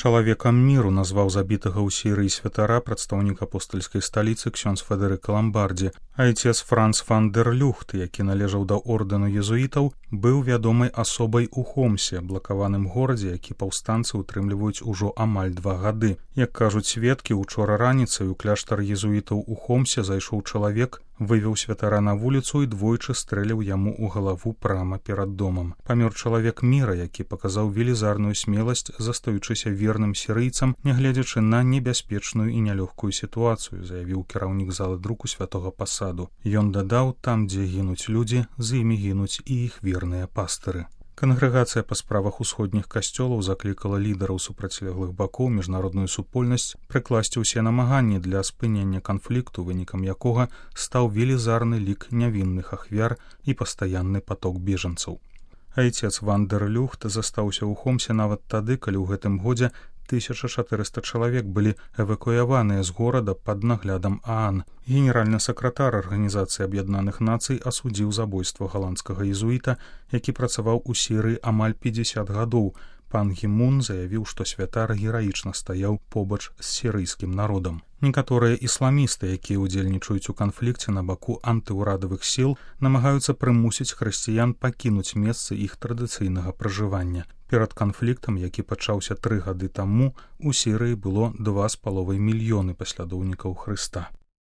Чалавекам міру назваў забітага ў Сірыі святара прадстаўнік апостальскай сталіцы ксёндз Федэрыка Ламбардзі. Айцец Франц фан дер Люхт, які належаў да ордэну езуітаў, быў вядомай асобай у Хомсе, блакаваным горадзе, які паўстанцы ўтрымліваюць ужо амаль 2 гады. Як кажуць сведкі, учора раніцай у кляштар езуітаў у Хомсе зайшоў чалавек, вывеў святара на вуліцу і двойчы стрэліў яму ў галаву прама перад домам. Памёр чалавек міра, які паказаў велізарную смеласць, застаючыся верным сірыйцам, нягледзячы на небяспечную і нялёгкую сітуацыю, заявіў кіраўнік залы друку святога пасаду. Ён дадаў, там, дзе гінуць людзі, з імі гінуць і іх верныя пастыры. Кангрэгацыя па справах усходніх касцёлаў заклікала лідараў супрацьлеглых бакоў міжнародную супольнасць прыкласці ўсе намаганні для спынення канфлікту, вынікам якога стаў велізарны лік нявінных ахвяр і пастаянны паток бежанцаў. Айцец Ван дер Люхт застаўся ў Хомсе нават тады, калі ў гэтым годзе 1400 чалавек былі эвакуяваныя з горада пад наглядам ААН. Генеральны сакратар Арганізацыі Аб'яднаных Нацый асудзіў забойства галандскага езуіта, які працаваў у Сірыі амаль 50 гадоў. Пан Гі Мун заявіў, што святар гераічна стаяў побач з сірыйскім народам. Некаторыя ісламісты, якія ўдзельнічаюць у канфлікце на баку антыўрадавых сіл, намагаюцца прымусіць хрысціян пакінуць месцы іх традыцыйнага пражывання. Перад канфліктам, які пачаўся 3 гады таму, у Сірыі было 2,5 мільёны паслядоўнікаў Хрыста.